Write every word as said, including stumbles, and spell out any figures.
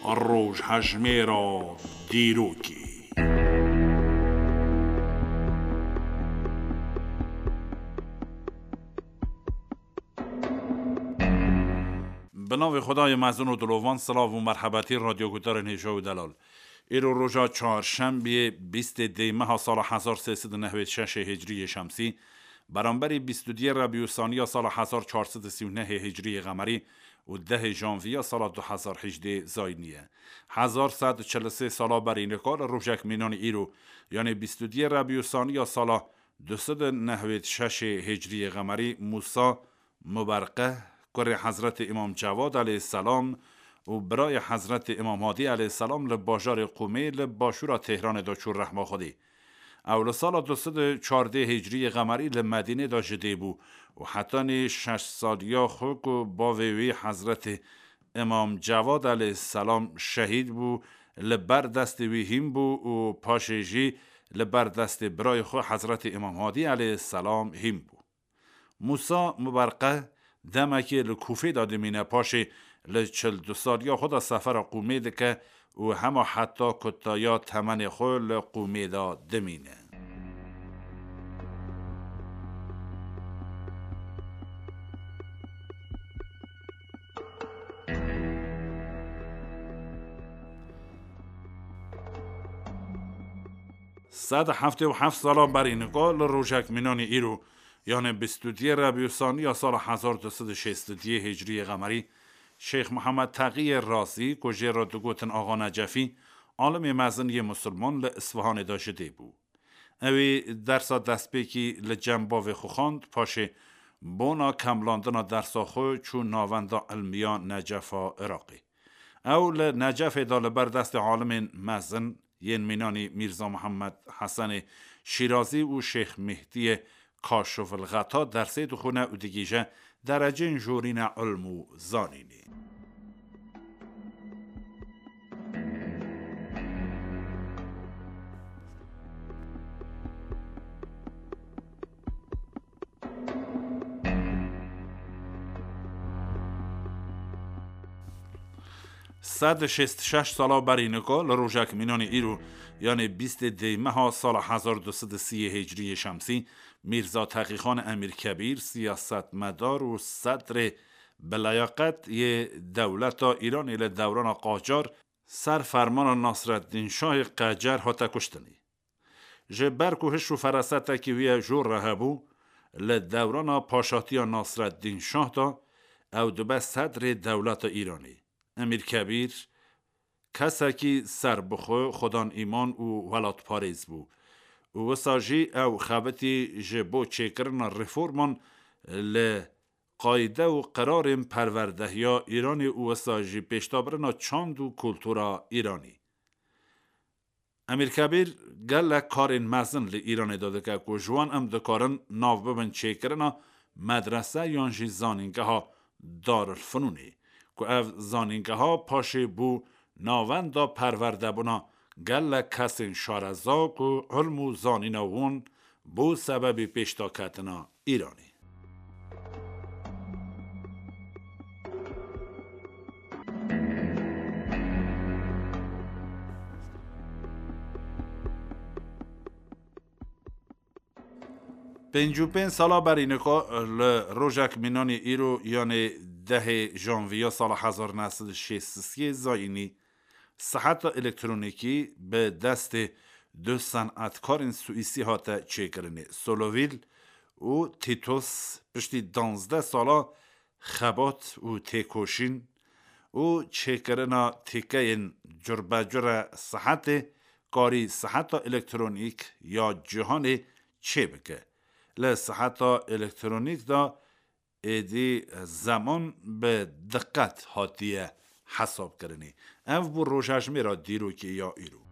Rojhejmêra dîrokê. Bi navê Xwedayê mezin û dilovan, silav û merhebetî radyoguhdarên hêja û delal. Îro roja çarşembiyê, bîstê dê meha sala hezar sê sed û nehwêd şeşê hicriyê şemsî, beramberî bîst û duyê rebî û saniya sala hezar çar sed û sî û nehê hicriyê qemerî û dehê janviya sala du hezar hejdê zayînî ye. Hezar sed û çil û sê sala berî nika li rojek mînanî îro, yanê bîst û duyê rebî û saniya sala du sed û nehwêd şeşê hicriyê qemerî, Mûsa Muberqeh, kurê Hezretê Îmam Cewad aleyhisselam û birayê Hezretê Îmam Hadî aleyhisselam li bajarê Qûmê li başûra Tehranê de çû rehma Xwedê. Ew li sala du sed û çardê hicriyê qemerî li Medînê de ji dê bû û hetanî şeş saliya xwe ku bavê wî Hezretê Îmam Cewad aleyhisselam şehîd bû, li ber destê wî hîn bû û paşê jî li ber destê birayê xwe Hezretê Îmam Hadî aleyhisselam hîn bû. Mûsa Muberqeh demekê li Kûfê de dimîne, paşê li çil du saliya xwe de sefera Qûmê dike û hema heta kutaya temenê xwe li Qûmê de dimîne. Sed heftê û heft sala berî nika li rojek mînanî îro, yanê bîst û duyê rebî û saniya sala hezar du sed û şêst û duyê hicriyê qemerî, Şêx Mihemed Teqiyê Razî, ku jê re digotin Axa Necefî, alimê mezin yê misilman, li Isfihanê de ji dê bû. Ew ê dersa destpêkî li cem bavê xwe xwend, paşê bona kemlandina dersa xwe çû navenda ilmiya Necefa Iraqê. Ew li Necefê de li ber destê alimên mezin yên mînanî Mîrza Mihemed Hesenê Şîrazî û Şêx Mîhdiyê Kaşifilxeta dersê dixwîne û digihîje dereceyên jorîne ilm û zanînê. Sed û şêst û şeş sala berî nika li rojek mînanê îro, yanê bîstê dêymeha sala hezar du sed û sî hicriyê şemsî, Mîrza Teqîxan Emîrkebîr, siyasetmedar û sedrê bileyaqet yê dewleta Îranê li dewrana Qacar, ser fermana Nasreddîn Şahê Qecer hate kuştinê. Ji ber ku hiş û ferasetekî wî ye jor re hebû, li dewrana paşatiya Nasreddîn Şah de ew dibe sedrê dewleta Îranê. Emîr Kebîr kesekî serbixwe, xwedan îman û welatparêz bû û wisa jî ew xebitî ji bo çêkirina reforman li qayde û qerarên perwerdehiya Îranê û wisa jî pêşdabirina çand û kultura Îranê. Emîr Kebîr gelek karên mezin li Îranê de dike ku ji wan em dikarin nav bibin çêkirina medrese yan jî zanîngeha Darulfinûnê, ku ev zanîngeha paşê bû navenda perwerdebûna gelek kesên şareza ku ilm û zanîna wan bû sebebê pêşdaketina Îranê. Pêncî û pênc sala berî nika li rojek mînanî îro, yanê dehê janviya sala hezar neh sed û şêst û sê zayînî, siheta elektronîkî bi destê du senetkarên Swîsî hate çêkirinê. Solovîl û Tîtos piştî danzdeh sala xebat û têkoşîn û çêkirina tîkeyên curbecure sihetê, karî siheta elektronîk ya cîhanê çêbike. Li siheta elektronîk de êdî zeman bi diqet hatiye hesabkirinê. Ev bû rojhejmêra dîrokê ya îro.